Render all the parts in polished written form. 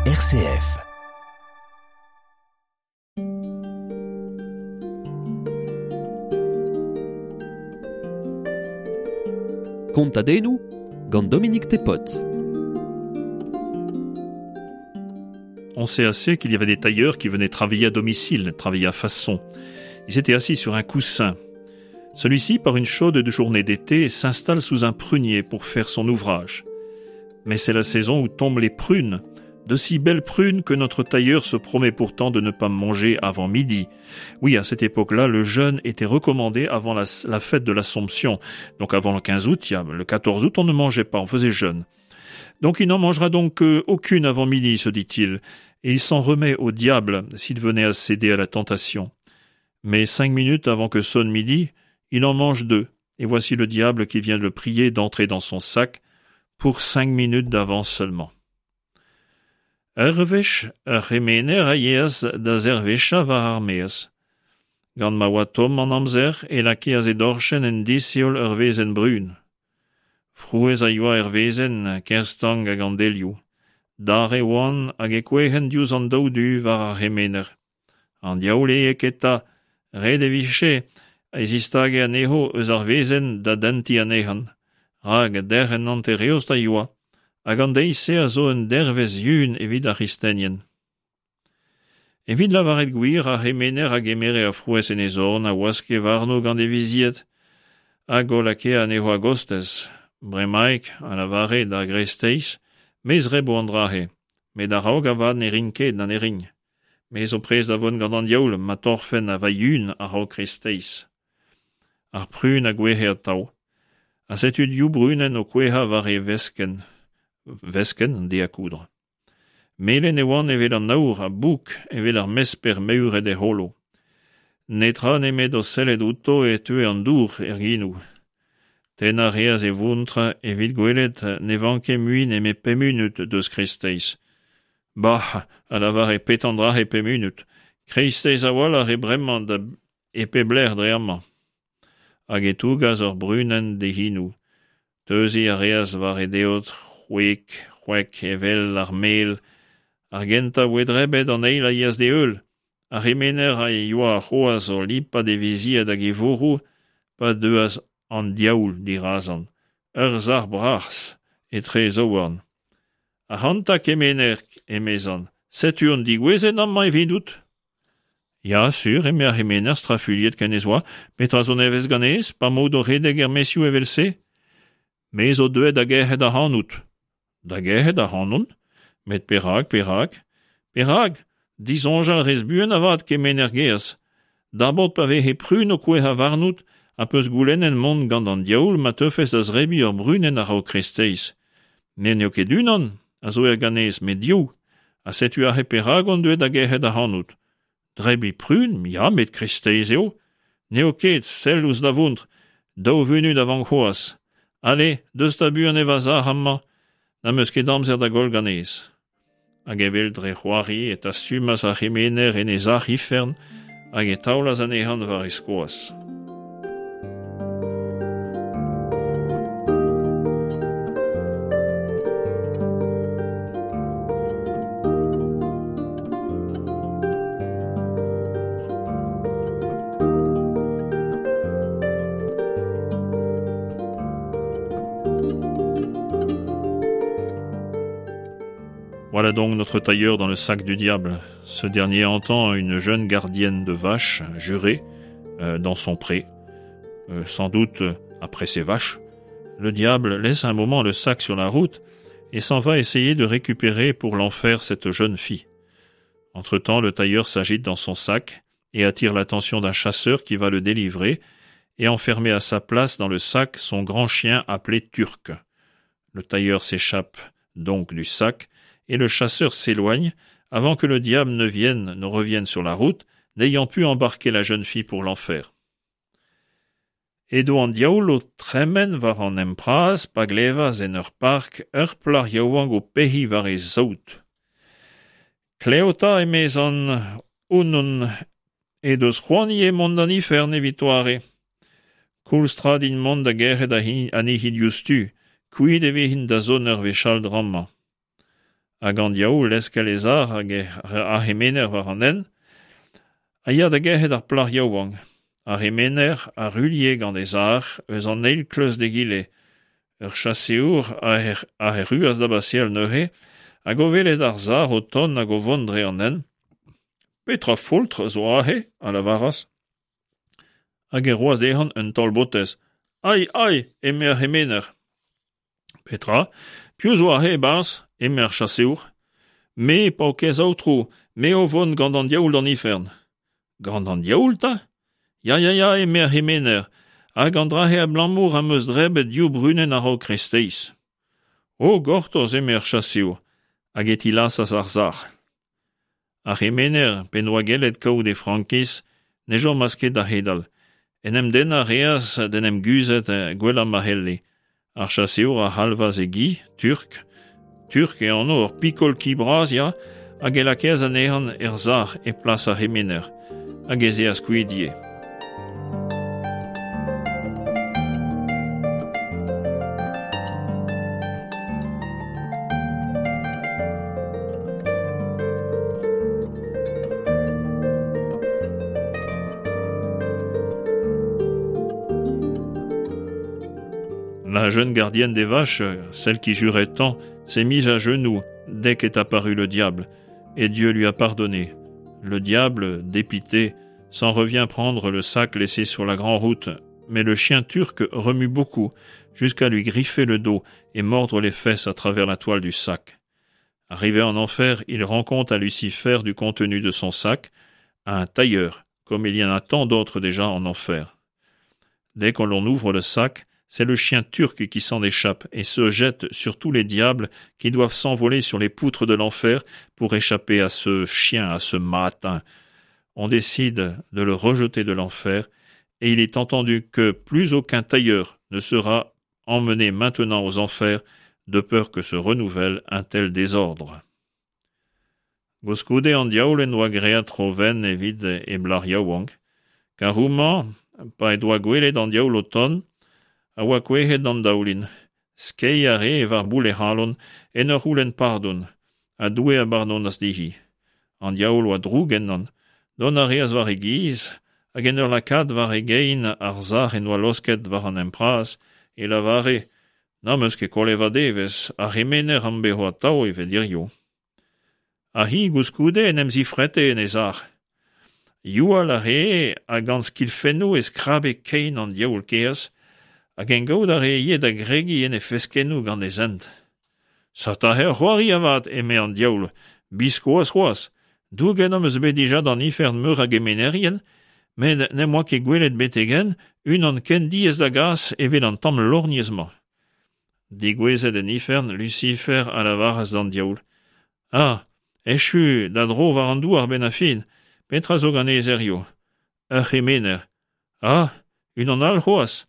RCF. Kontadennoù gant Dominique Tepot. On sait assez qu'il y avait des tailleurs qui venaient travailler à domicile, travailler à façon. Ils étaient assis sur un coussin. Celui-ci, par une chaude journée d'été, s'installe sous un prunier pour faire son ouvrage. Mais c'est la saison où tombent les prunes, de si belles prunes que notre tailleur se promet pourtant de ne pas manger avant midi. Oui, à cette époque-là, le jeûne était recommandé avant la, la fête de l'Assomption. Donc avant le 15 août, le 14 août, on ne mangeait pas, on faisait jeûne. Donc il n'en mangera donc euh, aucune avant midi, se dit-il, et il s'en remet au diable s'il venait à céder à la tentation. Mais cinq minutes avant que sonne midi, il en mange deux, et voici le diable qui vient le prier d'entrer dans son sac pour cinq minutes d'avance seulement. Ur wech, ur c'hemener a yeas da zervecha war ar maez. Gant ma oa tomm an amzer e lakeas e dorchenn en disheol ur wezenn brun. Frouezh a yoa er wezenn, ker stank hag an delioù. Dare oant hag e kouezhent diouzh an daou du war ar c'hemener. An diaoul eo eta, ret e vije e zistage anezho eus ar wezenn da dentiñ anezhan, rak derc'hent hanter-eost a yoa, hag an deiz-se a zo un dervezh yun evit ar c'hristenien. Evit lavaret gwir, ar c'hemener a gemere ar frouezh en e zorn, a waske warno gant e vizied, hag o lakae anezho a-gostez. Bremaik, a lavare da greisteiz, me zrebo an dra-se, met a-raok avat ne rin ket na ne rin. Me zo prest da vont gant an diaoul ma torrfen va yun a-raok kreisteiz. Ar prun a gouezhe atav. Ha setu div brunenn o kouezhañ war e veskenn. Veskenn, an dez à coudre. Melen e oant evel an aour ha bouk evel ar mesper meüret e c'holo. Netra nemet o sellet outo e teue an dour er genoù. Tennañ a reas e vontr evit gwelet ne vanke mui nemet pemp munut deus kreisteiz. Bah! a lavare petra an dra-se pemp munut. Kreisteiz a-walc'h eo bremañ da e pep lec'h dre amañ. Hag e tougas ur brunenn d'e c'henoù. Teuziñ a reas war e deod c'hwek, c'hwek evel ar mel. Ar gentañ a voe drebet, an eil a yeas d'e heul. Ar c'hemener a yoa c'hoazh o lipat e vizied hag e vourroù pa deuas an diaoul dirazañ, ur sac'h bras etre e zaouarn. Ac'hanta, kemener, emezan, setu on degouezhet amañ evidout. Ya, sur, eme ar c'hemener strafuilhet ken ez oa, petra zo nevez ganez, pa 'maout o redek er maezioù evel-se? Me zo deuet da gerc'hat ac'hanout. Da gerc'hat ac'hanon? Met perak, perak? Perak? Disoñjal 'rez buan avat, kemener gaezh. Dabord pa veze prun o kouezhañ warnout ha 'peus goulennet mont gant an diaoul ma teufes da zebriñ ur brunenn a-raok kreisteiz. Met n'eo ket unan a zo er ganez, met div. Ha setu aze perak on deuet da gerc'hat ac'hanout. Drebiñ prun, ya, met kreisteiz eo. N'eo ket, sell ouzh da vontr, daou vunut a vank c'hoazh. Ale, deus 'ta buan e va sac'h amañ, n'am eus ket amzer da goll ganez. Hag evel dre c'hoari e tastumas ar c'hemener en e sac'h ifern hag e taolas anezhan war e skoaz. Voilà donc notre tailleur dans le sac du diable. Ce dernier entend une jeune gardienne de vaches jurer euh, dans son pré, euh, sans doute après ses vaches. Le diable laisse un moment le sac sur la route et s'en va essayer de récupérer pour l'enfer cette jeune fille. Entre-temps, le tailleur s'agite dans son sac et attire l'attention d'un chasseur qui va le délivrer et enfermer à sa place dans le sac son grand chien appelé Turc. Le tailleur s'échappe donc du sac et le chasseur s'éloigne avant que le diable ne vienne, ne revienne sur la route, n'ayant pu embarquer la jeune fille pour l'enfer. Edo an diaoul o tremen war an hent bras pa glevas en ur park ur plac'h yaouank o pec'hiñ war he saout. Klev 'ta, emezan, hounnont he deus c'hoant ivez mont d'an ifern evit doare. Koulz tra din mont da gerc'hat anezhi diouzhtu, kuit e vezin da zont ur wech all dra-mañ. Hag an diaoul leskel e sac'h hag ar c'hemener war an hent, a ya da gerc'het ar plac'h yaouank. Ar c'hemener a ruilhe gant e sac'h eus an eil kleuz d'egile. Ur chaseour a erruas da baseal neuze, hag o welet ar sac'h o tont hag o vont dre an hent, Petra foultr zo aze? a lavaras. Hag e roas dezhañ un taol botez. Ai, ai, eme ar c'hemener. Petra? Piv zo aze e-barzh? eme ar chaseour. Me, paourkaezh aotrou, me o vont gant an diaoul d'an ifern. Gant an diaoul 'ta? Ya, ya, ya, eme ar c'hemener, hag an dra-se abalamour am eus drebet div brunenn a-raok kreisteiz. O, gortoz, eme ar chaseour, hag e tilasas ar sac'h. Ar c'hemener, p'en doa gellet kaout e frankiz, ne chomas ket da c'hedal. En em dennañ a reas d'en em guzhet gwellañ ma c'helle. Ar chaseour a c'halvas e gi, Turk, Turk e anv, ur pikol ki bras, ya, hag e lakaas anezhañ er sac'h e plas ar c'hemener, hag ez eas kuit ivez. La jeune gardienne des vaches, celle qui jurait tant, s'est mise à genoux dès qu'est apparu le diable, et Dieu lui a pardonné. Le diable, dépité, s'en revient prendre le sac laissé sur la grande route, mais le chien turc remue beaucoup, jusqu'à lui griffer le dos et mordre les fesses à travers la toile du sac. Arrivé en enfer, il rend compte à Lucifer du contenu de son sac, à un tailleur, comme il y en a tant d'autres déjà en enfer. Dès qu'on l'on ouvre le sac, c'est le chien turc qui s'en échappe et se jette sur tous les diables qui doivent s'envoler sur les poutres de l'enfer pour échapper à ce chien, à ce matin. On décide de le rejeter de l'enfer et il est entendu que plus aucun tailleur ne sera emmené maintenant aux enfers de peur que se renouvelle un tel désordre. Gouskoude an diaoul en doa graet tro wenn evit e blac'h yaouank, kar houmañ, pa he doa gwelet an diaoul o tont, a oa kouezhet d'an daoulin. Skeiñ a rae war boull he c'halon en ur c'houlenn pardon, ha Doue a bardonas dezhi. An diaoul oa droug ennon. Dont a reas war e giz, hag en ur lakaat war e gein ar sac'h en doa laosket war an hent bras, e lavare, N'am eus ket kollet va devezh, ar c'hemener am bezo atav evel hiziv. Ha hi goulskoude en em zifrete en he sac'h. Youal a ree ha gant skilfennoù e skrabe kein an diaoul kaezh, hag en gaout a ree ivez da gregiñ en he feskennoù gant e zent. Setu aze ur c'hoari avat, eme an diaoul, biskoazh c'hoazh. Douget am eus bet dija d'an ifern meur a gemenerien, met n'em boa ket gwelet betek-henn unan ken diaes da gas evel an tamm lorgnez-mañ. Degouezhet en ifern, Lusifer a lavaras d'an diaoul: Ah, echu da dro war an douar 'benn ar fin, petra zo ganez hiziv? Ur c'hemener. Ah, unan all c'hoazh?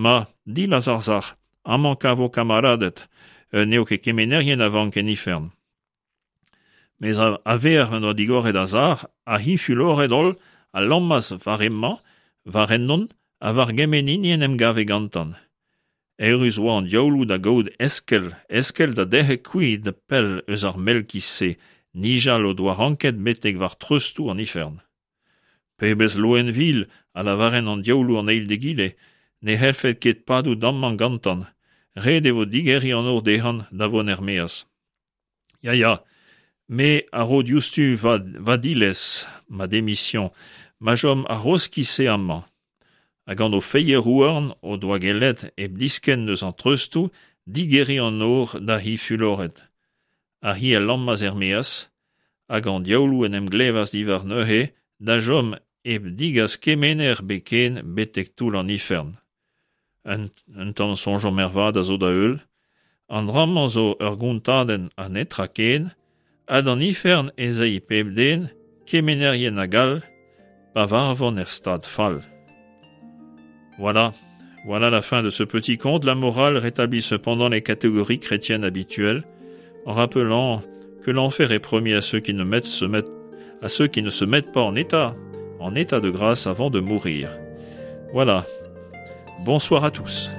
Ma, dilaz ar sac'h, amañ 'kavo kamaraded, n'eo ket kemenerien a vank en ifern. Mes a-vec'h m'en doa digoret ar sac'h, ha hi fuloret-holl a lammas war hemañ, war ennon, ha war gement hini en em gave gantan. Eürus oa an diaouloù da gaout eskell, eskell da derc'hel kuit pell eus ar mell-ki-se, nijal o doa ranket betek war treustoù an ifern. Pebezh loen vil, a lavarent an diaouloù an eil d'egile, ne c'hellfed ket padout amañ gantan, ret e vo digeriñ an nor dezhañ da vont er-maez. Ya, ya, me a ro diouzhtu va, va dilez, ma démission, ma chom ar c'hozh-ki-se amañ. Ha gant o feier-houarn o doa gellet, hep diskenn eus an treustoù, digeriñ an nor d'ar c'hi fuloret. Ar c'hi a lammas er-maez, hag an diaouloù en em glevas diwar neuze da chom hep degas kemener ebet ken betek toull an ifern. Un tamm soñjomp ervat a zo da heul. An dra-mañ zo ur gontadenn ha netra ken, ha d'an ifern ez ay pep den, kemenerien hag all, pa varvont er stad fall. Voilà. Voilà la fin de ce petit conte. La morale rétablit cependant les catégories chrétiennes habituelles, en rappelant que l'enfer est promis à ceux qui ne mettent, se mettent, à ceux qui ne se mettent pas en état, en état de grâce avant de mourir. Voilà. Bonsoir à tous.